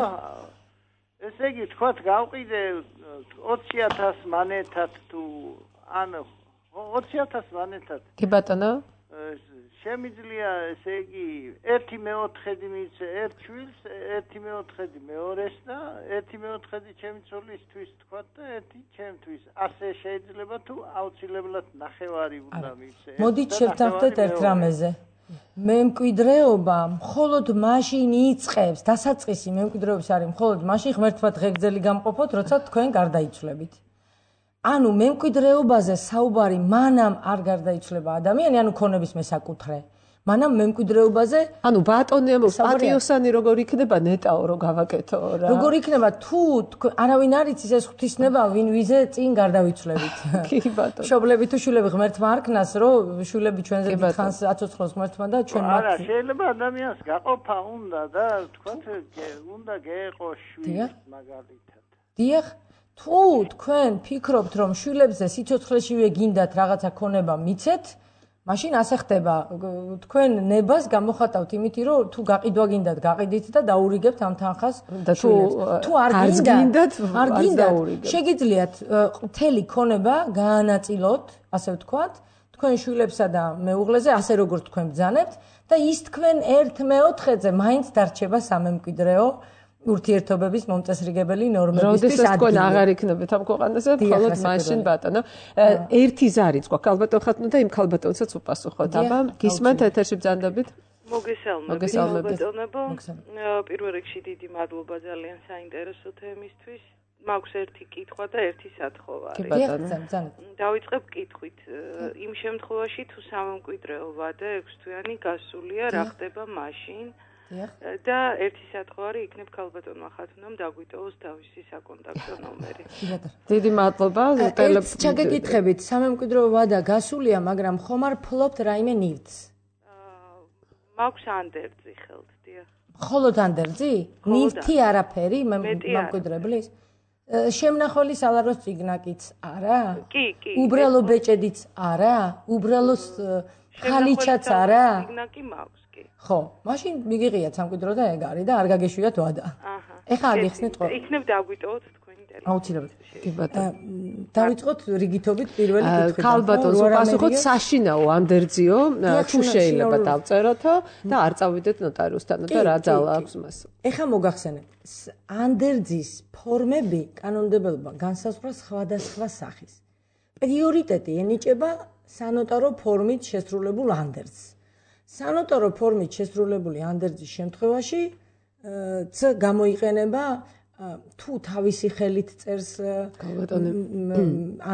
ესე იგი თქვათ გავყიდე ოცი ათასი მანეთად თუ ან ოცი ათასი მანეთად. კი ბატონო. შემიძლია ესე იგი ერთი მეოთხედი მიცე ერთ შვილს, ერთი მეოთხედი მეორეს და ერთი მეოთხედი ჩემი ცოლისთვის თქვათ და ერთი ჩემთვის. ასე შეიძლება თუ აუცილებლად ნახევარი უნდა მიცე. მოდით შევთანხმდეთ ერთ რამეზე. მემკვიდრეობა მხოლოდ მაშინ იწყებს, დასაწყისი მემკვიდრეობის არის მხოლოდ მაშინ ღმერთმა დღეგრძელი გამყოფოთ, როცა თქვენ გარდაიცვლებით. ანუ მემკვიდრეობაზე საუბარი მანამ არ გარდაიცვლება ადამიანი, ანუ ქონების მესაკუთრე. მანამ მემკვიდრეობაზე, ანუ ბატონი პატიოსანი როგორ იქნება ნეტაო რო გავაკეთო რა. როგორ იქნება თუ არავინ არ იცის ეს ღვთისნება, ვინ ვიზე წინ გარდავიცვლებით. კი ბატონო. მშობლები თუ შვილები ღმერთმა არ ქნას, რომ შვილები ჩვენზე დიდხანს აცოცხლოს ღმერთმა და ჩვენ მათ. არა, შეიძლება ადამიანს გაყოფა უნდა და თქვათ უნდა გეყო შვილი მაგალითად. დიახ. თუ თქვენ ფიქრობთ, რომ შვილებზე სიცოცხლეშივე გინდათ რაღაცა ქონება მიცეთ, მაშინ ასე ხდება. თქვენ ნებას გამოხატავთ იმით, რომ თუ გაყიდვა გინდათ, გაყიდით და დაურიგებთ ამ თანხას შვილებს. თუ არ გინდათ, არ გინდათ, შეგიძლიათ მთელი ქონება გაანაწილოთ, ასე ვთქვათ, თქვენ შვილებსა და მეუღლეზე, ასე როგორც თქვენ ბრძანებთ და ის თქვენ ერთ მეოთხედზე მაინც დარჩება სამემკვიდრეო ურთიერთობების მომწესრიგებელი ნორმებისთვის ადგილი. როდესაც თქვენ აღარ იქნებით ამ ქვეყანაზე, მხოლოდ მაშინ ბატონო. ერთი ზარიც გვაქვს ქალბატონ ხათნო და იმ ქალბატონსაც უპასუხოთ. აბა, გისმენთ ეთერში ბრძანდებით? მოგესალმებით ქალბატონებო. პირველ რიგში დიდი მადლობა ძალიან საინტერესო თემისთვის. მაქვს ერთი კითხვა და ერთი სათხოვარი. კი ბატონო, ბრძანეთ. დავიწყებ კითხვით. იმ შემთხვევაში თუ სამემკვიდრეო ვადა ექვს თვიანი გასულია, რა ხდება მაშინ? და ერთი სათხოვარი იქნებ ქალბატონმა ხათუნამ დაგვიტოვოს თავისი საკონტაქტო ნომერი. დიდი მადლობა. ეს ჩაგეკითხებით, სამემკვიდრეო ვადა გასულია, მაგრამ ხომ არ ფლობთ რაიმე ნივთს? მაქვს ანდერძი ხელთ, დიახ. მხოლოდ ანდერძი? ნივთი არაფერი მემკვიდრებლის? შემნახველი სალაროს წიგნაკიც არა? კი, კი. უბრალო ბეჭედიც არა? უბრალო ხალიჩაც არა? წიგნაკი მაქვს. ხო, მაშინ მიგიღიათ სამკვიდრო და ეგ არის და არ გაგეშვიათ ვადა. აჰა. ეხლა არ გიხსნით ყო. იქნებ დაგვიტოვოთ თქვენი ტელეფონი. აუცილებლად. კი ბატონო. დავიწყოთ რიგითობით პირველი კითხვით. ქალბატონს უპასუხოთ საშინაო ანდერძიო, თუ შეიძლება დავწეროთო და არ წავიდეთ ნოტარიუსთან და რა ძალა აქვს მას. ეხლა მოგახსენებთ. ანდერძის ფორმები კანონმდებელობა განსაზღვრა სხვადასხვა სახის. პრიორიტეტი ენიჭება სანოტარო ფორმით შესრულებულ ანდერძს. სანოტარო ფორმით შესრულებული ანდერძის შემთხვევაში ც გამოიყენება თუ თავისი ხელით წერს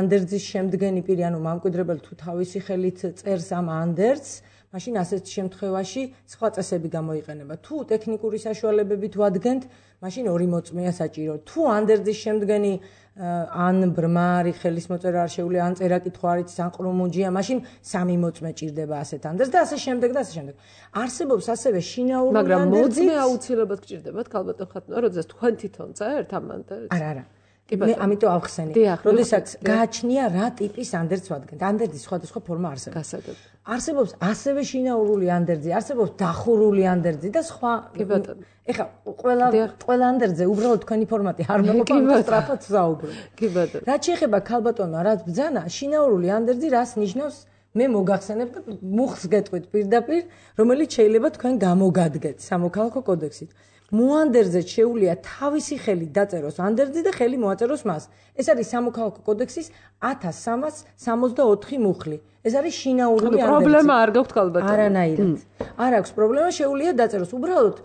ანდერძის შემდგენი პირი, ანუ მამკვიდრებელი თუ თავისი ხელით წერს ამ ანდერძს, მაშინ ასეთ შემთხვევაში სხვა წესები გამოიყენება. თუ ტექნიკური საშუალებებით ვადგენთ, მაშინ ორი მოწმეა საჭირო. თუ ანდერძის შემდგენი ან ბრმარი ხელის მოწერა არ შეუძლია, ან წერა-კითხვა არ იცის, ან ყრუმუნჯია, მაშინ სამი მოწმე ჭირდება ასეთ ანდერძს და ასე შემდეგ და ასე შემდეგ. არსებობს ასევე შინაურული ანდერძი. მაგრამ მოწმე აუცილებლად გჭირდებათ, ქალბატონ ხატუნა, როდესაც თქვენ თვითონ წერთ ამ ანდერძს? არა, არა. მე ამიტომ ავხსენი. როდესაც გააჩნია რა ტიპის ანდერძს ვადგენთ. ანდერძის სხვადასხვა ფორმა არსებობს. გასაგებ. არსებობს ასევე შინაურული ანდერძი, არსებობს დახურული ანდერძი და სხვა. კი ბატონო. ეხლა ყველა ყველა ანდერძზე უბრალოდ თქვენი ფორმატი არ მოყვება, სწრაფად ვსაუბრობ. კი ბატონო. რაც შეეხება ქალბატონმა რაც ბრძანა, შინაურული ანდერძი რას ნიშნავს? მე მოგახსენებ და მუხს გეტყვით პირდაპირ, რომელიც შეიძლება თქვენ გამოგადგეთ სამოქალაქო კოდექსით. მოანდერძზე შეუძლია თავისი ხელით დაწეროს ანდერძი და ხელი მოაწეროს მას. ეს არის სამოქალაქო კოდექსის ათას სამას სამოცდაოთხი მუხლი. ეს არის შინაურული ანდერძი. პრობლემა არ გაქვთ ქალბატონო. არანაირად. არ აქვს პრობლემა, შეუძლია დაწეროს. უბრალოდ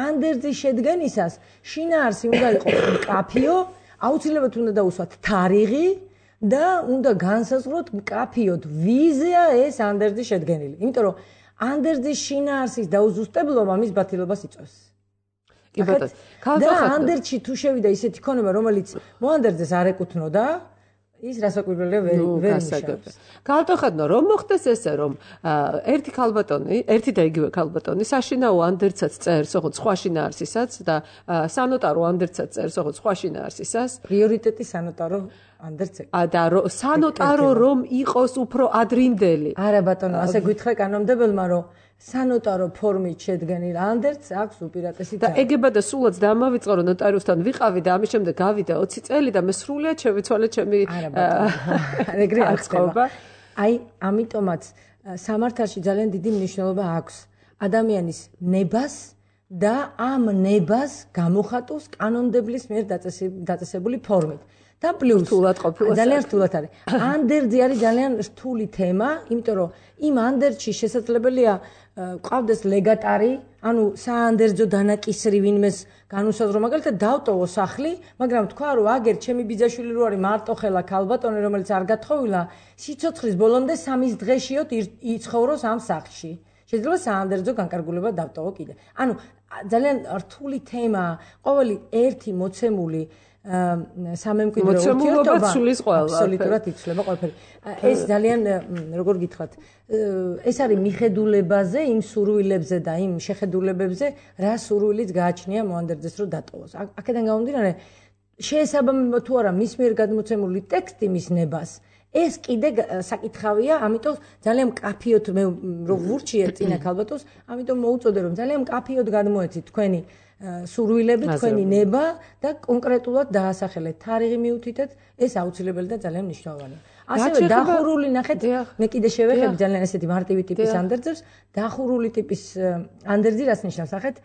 ანდერძის შედგენისას შინაარსი უნდა იყოს მკაფიო, აუცილებლად უნდა დაუსვათ თარიღი და უნდა განსაზღვროთ მკაფიოდ ვიზია ეს ანდერძი შედგენილი. იმიტომ რომ ანდერძის შინაარსის დაუზუსტებლობა მის ბათილობას იწვევს. და ანდერძში თუ შევიდა ისეთი ქონება, რომელიც მოანდერძეს არ ეკუთვნოდა, ის რასაკვირველია ვერ ვერ ნიშნავს. ქალბატონო, რომ მოხდეს ესე, რომ ერთი ქალბატონი, ერთი და იგივე ქალბატონი საშინაო ანდერძსაც წერს, ოღონდ სხვა შინაარსისაც და სანოტარო ანდერძსაც წერს, ოღონდ სხვა შინაარსისას. პრიორიტეტი სანოტარო ანდერძზე. და სანოტარო რომ იყოს უფრო ადრინდელი. არა ბატონო, ასე გითხრა კანონმდებელმა, რომ სანოტარო ფორმით შედგენილ ანდერძს აქვს უპირატესი და ეგება და სულაც დამავიწყო რომ ნოტარიუსთან ვიყავი და ამის შემდეგ გავიდა ოცი წელი და მე სრულიად შევიცვალე ჩემი ეგრე არ ხდება. აი, ამიტომაც სამართალში ძალიან დიდი მნიშვნელობა აქვს ადამიანის ნებას და ამ ნებას გამოხატავს კანონმდებლის მიერ დაწესებული ფორმით. და პლუს რთულად ყოფილა ძალიან რთულად არის. ანდერძი არის ძალიან რთული თემა, იმიტომ რომ იმ ანდერძში შესაძლებელია ყავდეს ლეგატარი, ანუ საანდერძო დანაკისრი ვინმეს განუსაზღვრო, მაგალითად დავტოვო სახლი, მაგრამ თქვა რომ აგერ ჩემი ბიძაშვილი რო არის მარტოხელა ქალბატონი, რომელიც არ გათხოვილა, სიცოცხლის ბოლომდე სამის დღეშიოთ იცხოვროს ამ სახლში. შეიძლება საანდერძო განკარგულება დავტოვო კიდე. ანუ ძალიან რთული თემაა, ყოველი ერთი მოცემული სამემკვიდრო ურთიერთობა აბსოლუტურად იცვლება ყველაფერი. ეს ძალიან როგორ გითხრათ, ეს არის მიხედულებაზე, იმ სურვილებზე და იმ შეხედულებებზე, რა სურვილიც გააჩნია მოანდერძეს რომ დატოვოს. აქედან გამომდინარე, შეესაბამება თუ არა მის მიერ გადმოცემული ტექსტი მის ნებას, ეს კიდე საკითხავია, ამიტომ ძალიან მკაფიოდ მე რომ ვურჩიე წინა ქალბატონს, ამიტომ მოუწოდე რომ ძალიან მკაფიოდ გადმოეცით თქვენი სურვილები, თქვენი ნება და კონკრეტულად დაასახელეთ თარიღი მიუთითეთ, ეს აუცილებელი და ძალიან მნიშვნელოვანია. ასევე დახურული, ნახეთ, მე კიდე შევეხები ძალიან ესეთი მარტივი ტიპის ანდერძებს, დახურული ტიპის ანდერძი რას ნიშნავს, ნახეთ,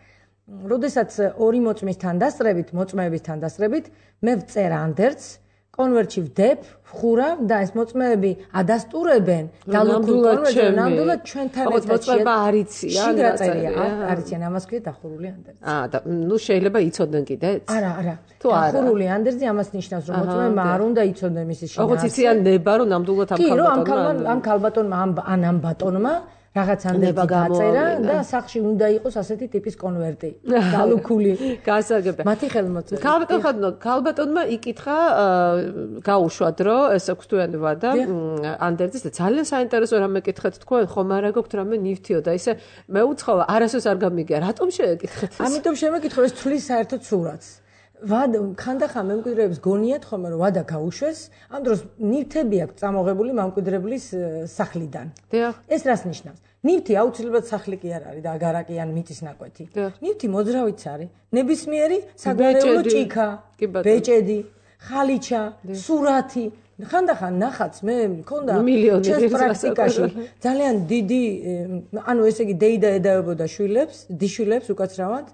როდესაც ორი მოწმის თანდასწრებით, მოწმეების თანდასწრებით, მე ვწერ ანდერძს, კონვერტში ვდებ, ვხურავ და ეს მოწმეები ადასტურებენ დალუქულ კონვერტზე, ნამდვილად ჩვენთან ერთად მოწმება არ იციან, არ იციან, ამას ქვია დახურული ანდერძი. აა და ნუ შეიძლება იცოდნენ კიდეც? არა, არა. დახურული ანდერძი ამას ნიშნავს, რომ მოწმეებმა არ უნდა იცოდნენ მისი შინაარსი. ოღონდ იციან ნება, რომ ნამდვილად ამ ქალბატონმა ამ ქალბატონმა ან ამ ბატონმა რაღაც ანდერძი გაწერა და სახში უნდა იყოს ასეთი ტიპის კონვერტი, დალუქული. გასაგებია. მათი ხელმოწერა. ქალბატონმა, ქალბატონმა იკითხა, გაუშვათ, რომ ეს ექვსთვიანი ვადა ანდერძის და ძალიან საინტერესო რამე კითხეთ თქვენ, ხომ არა გაქვთ რამე ნივთიო და ისე მე უცხოა, არასოდეს არ გამიგია, რატომ შეეკითხეთ ეს? ამიტომ შემეკითხო, ეს თვლის საერთოდ სურათს. ვადა ხანდახან მემკვიდრეებს გონიათ ხომ რომ ვადა გაუშვეს, ამ დროს ნივთები აქვს წამოღებული მემკვიდრებლის სახლიდან. ეს რას ნიშნავს? ნივთი აუცილებლად სახლი კი არ არის და აგარაკი ან მიწის ნაკვეთი. ნივთი მოძრავიც არის. ნებისმიერი საგვარეულო ჭიქა, ბეჭედი, ხალიჩა, სურათი. ხანდახან ნახაც მე მქონდა ჩემს პრაქტიკაში ძალიან დიდი, ანუ ესე იგი დეიდა ედავებოდა შვილებს, დიშვილებს უკაცრავად.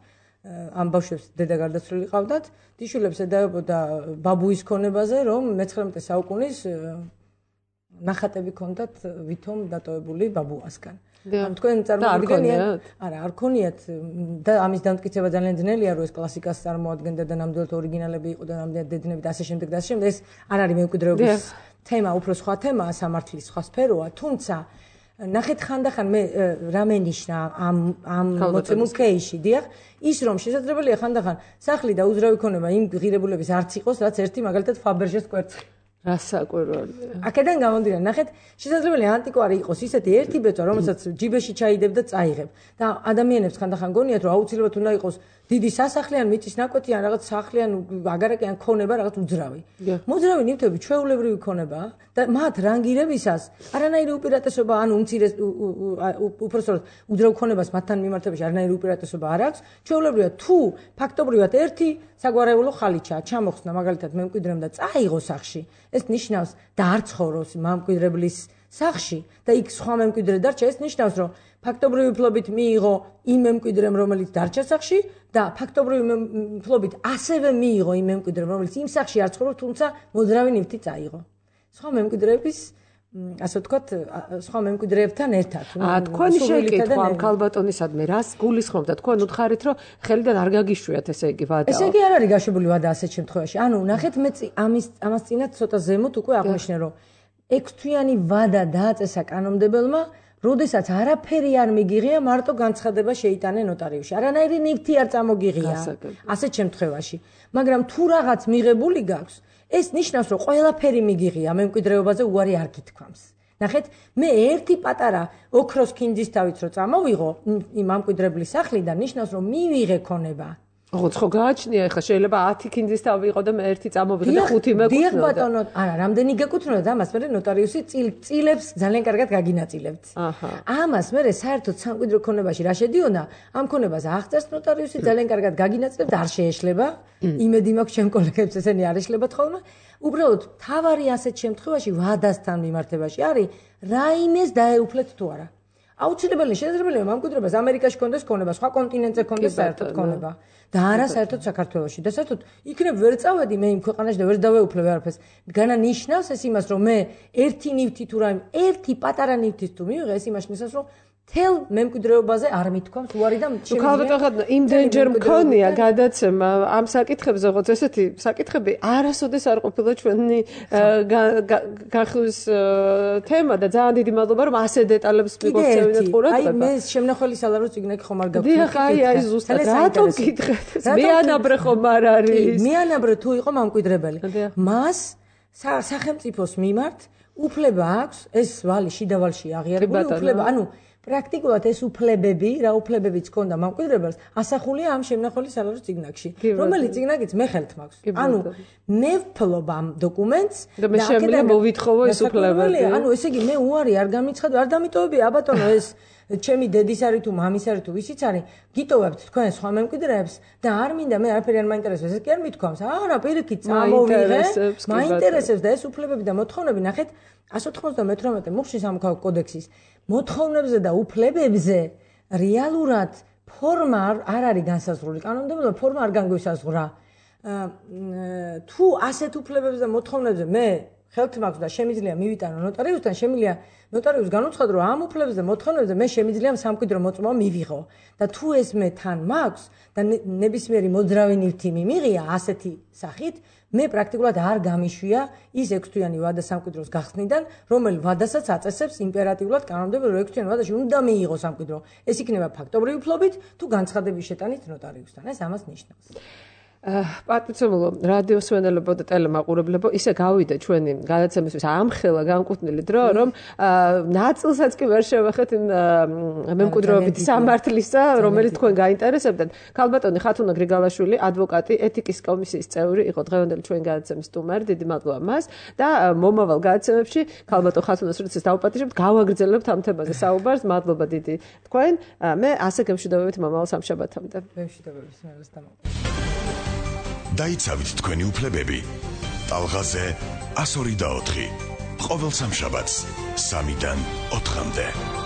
ამ ბავშვებს დედა გარდაცვლილი ყავდათ, დიშვილებს ედავებოდა ბაბუის ქონებაზე, რომ მეცხრამეტე საუკუნის ნახატები ქონდათ ვითომ დატოვებული ბაბუასგან. ან თქვენ წარმოგიდგენიათ? არა, არ ქონიათ და ამის დამტკიცება ძალიან ძნელია, რომ ეს კლასიკას წარმოადგენდა და ნამდვილად ორიგინალები იყო და ნამდვილად დედნები და ასე შემდეგ და ასე შემდეგ. ეს არ არის მემკვიდრეობის თემა, უფრო სხვა თემაა, სამართლის სხვა სფეროა, თუმცა ნახეთ ხანდახან მე რამე ნიშნა ამ ამ მოცემულ კეისში, დიახ, ის რომ შესაძლებელია ხანდახან სახლი და უძრავი ქონება იმ ღირებულების არც იყოს, რაც ერთი მაგალითად ფაბერჟეს კვერცხი. რასაკვირველია. აქედან გამომდინარე, ნახეთ, შესაძლებელია ანტიკვარი იყოს ისეთი ერთი ბეწვა, რომელსაც ჯიბეში ჩაიდებ და წაიღებ. და ადამიანებს ხანდახან გონიათ, რომ აუცილებლად უნდა იყოს დიდი სასახლე ან მიწის ნაკვეთი ან რაღაც სახლი ან აგარაკი ან ქონება რაღაც უძრავი. მოძრავი ნივთები ჩვეულებრივი ქონებაა და მათ რანგირებისას არანაირი უპირატესობა ან უმცირეს უпростоრად უძრავ ქონებას მათთან მიმართებაში არანაირი უპირატესობა არ აქვს. ჩვეულებრივად თუ ფაქტობრივად ერთი საგვარეულო ხალიჩაა ჩამოხსნა მაგალითად მემკვიდრემ და წაიღო სახლში, ეს ნიშნავს და არ ცხოვრობს მემკვიდრებლის სახლში და იქ სხვა მემკვიდრე დარჩა, ეს ნიშნავს, რომ ფაქტობრივი ფლობით მიიღო იმ მემკვიდრემ, რომელიც დარჩა სახლში და ფაქტობრივი ფლობით ასევე მიიღო იმ მემკვიდრემ, რომელიც იმ სახლში არ ცხოვრობს, თუმცა მოძრავი ნივთი წაიღო. სხვა მემკვიდრეების ასე ვთქვათ, სხვა მემკვიდრეებთან ერთად. აა თქვენი შეკითხვა ამ ქალბატონისადმი რას გულისხმობ და თქვენ უთხარით, რომ ხელიდან არ გაგიშვიათ ესე იგი ვადა. ესე იგი არ არის გაშვებული ვადა ასეთ შემთხვევაში. ანუ ნახეთ მე ამის ამას წინათ ცოტა ზემოთ უკვე აღნიშნე, რომ ექვსთვიანი ვადა დააწესა კანონმდებელმა, როდესაც არაფერი არ მიგიღია, მარტო განცხადება შეიტანა ნოტარიუსში. არანაირი ნივთი არ წამოგიღია ასეთ შემთხვევაში. მაგრამ თუ რაღაც მიღებული გაქვს, ეს ნიშნავს, რომ ყველაფერი მიგიღია მემკვიდრეობაზე უარი არ გითქვამს. ნახეთ, მე ერთი პატარა ოქროს ქინძისთავით რო წამოვიღო იმ მემკვიდრებლის სახლიდან, ნიშნავს, რომ მივიღე ქონება. ოღონდ ხო გააჩნია, ეხლა შეიძლება ათი ქინძისთავი იყო და მე ერთი წამოვიღე და ხუთი მეკუთვნოდა. დიახ ბატონო, არა, რამდენი გეკუთვნოდა, ამას მე ნოტარიუსი წილებს ძალიან კარგად გაგინაწილებთ. აჰა. ამას მე საერთოდ სამკვიდრო ქონებაში რა შედიოდა, ამ ქონებას აღწერს ნოტარიუსი, ძალიან კარგად გაგინაწილებთ, არ შეეშლება. იმედი მაქვს ჩემ კოლეგებს ესენი არ ეშლებათ ხოლმე. უბრალოდ თავარი ასეთ შემთხვევაში ვადასთან მიმართებაში არის რაიმეს დაეუფლეთ თუ არა. აუცილებელი შესაძლებელია მემკვიდრეობას ამერიკაში კონდეს ქონება, სხვა კონტინენტზე კონდეს საერთოდ ქონება და არა საერთოდ საქართველოში. და საერთოდ იქნებ ვერ წავედი მე იმ ქვეყანაში და ვერ დავეუფლებ არაფერს. განა ნიშნავს ეს იმას, რომ მე ერთი ნივთი თუ რაიმე, ერთი პატარა ნივთის თუ მივიღე, ეს იმას ნიშნავს, რომ თელ მემკვიდრეობაზე არ მithქვამს უარი და შემიძლია. ქალბატონო, იმდენჯერ მქონია გადაცემა ამ საკითხებზე, როგორც ესეთი საკითხები არასოდეს არ ყოფილა ჩვენი გახსნის თემა და ძალიან დიდი მადლობა, რომ ასე დეტალებს მიგოხსენებინათ ყურადღება. აი მე შემნახველი სალარო ციგნაკი ხომ არ გაქვს. დიახ, აი აი ზუსტად რატომ გითხრათ? მეანაბრე ხომ არ არის? მეანაბრე თუ იყო მემკვიდრებელი. მას სახელმწიფოს მიმართ უფლება აქვს ეს ვალი შიდა ვალში აღიარებული უფლება, ანუ პრაქტიკულად ეს უფლებები, რა უფლებებიც ჰქონდა მემკვიდრებელს, ასახულია ამ შემნახველი სალარო ციგნაკში, რომელიც ციგნაკიც მე ხელთ მაქვს. ანუ მე ვფლობ ამ დოკუმენტს და მე შემიძლია მოვითხოვო ეს უფლებები. ანუ ესე იგი მე უარი არ გამიცხადო, არ დამიტოვებია აბატონო ეს ჩემი დედის არის თუ მამის არის თუ ვისიც არის, გიტოვებთ თქვენ სხვა მემკვიდრეებს და არ მინდა მე არაფერი არ მაინტერესებს, ეს კი არ მithქვამს. არა, პირიქით წამოვიღე, მაინტერესებს და ეს უფლებები და მოთხოვნები, ნახეთ, εκατს ოთხმოცდამეთვრამეტე მუხლის სამოქალაქო კოდექსის მოთხოვნებზე და უფლებებზე რეალურად ფორმა არ არის განსაზღვრული. კანონმდებლობა ფორმა არ განგვისაზღვრა. თუ ასეთ უფლებებზე და მოთხოვნებზე მე ხელთ მაქვს და შემიძლია მივიტანო ნოტარიუსთან, შემიძლია ნოტარიუსს განუცხადო, რომ ამ უფლებებზე და მოთხოვნებზე მე შემიძლია სამკვიდრო მოწმობა მივიღო. და თუ ეს მე თან მაქვს და ნებისმიერი მოძრავი ნივთი მიმიღია ასეთი სახით, მე პრაქტიკულად არ გამიშვია ის ექვსთვიანი ვადა სამკვიდროს გახსნიდან, რომელიც ვადასაც აწესებს იმპერატიულად კანონმდებლობა, რომ ექვსთვიანი ვადაში უნდა მიიღო სამკვიდრო. ეს იქნება ფაქტობრივი ფლობით თუ განცხადების შეტანით ნოტარიუსთან. ეს ამას ნიშნავს. პატიცემულო რადიოს მსმენელებო და ტელემაყურებლებო, ისე გავიდა ჩვენი გადაცემისთვის ამხელა განკუთვნილი დრო, რომ ნაწილსაც კი ვერ შევეხეთ იმ მემკვიდრეობითი სამართლისა, რომელიც თქვენ გაინტერესებდათ. ქალბატონი ხათუნა გრიგალაშვილი, ადვოკატი, ეთიკის კომისიის წევრი იყო დღევანდელი ჩვენი გადაცემის სტუმარი, დიდი მადლობა მას და მომავალ გადაცემებში ქალბატონ ხათუნას როდესაც დავუპატიჟებთ, გავაგრძელებთ ამ თემაზე საუბარს. მადლობა დიდი თქვენ. მე ასე გემშვიდობებით მომავალ სამშაბათამდე. გემშვიდობებით სმენელს დამო. დაიცავით თქვენი უფლებები. ტალღაზე ასორი და ოთხი. ყოველ სამშაბათს სამიდან ოთხამდე.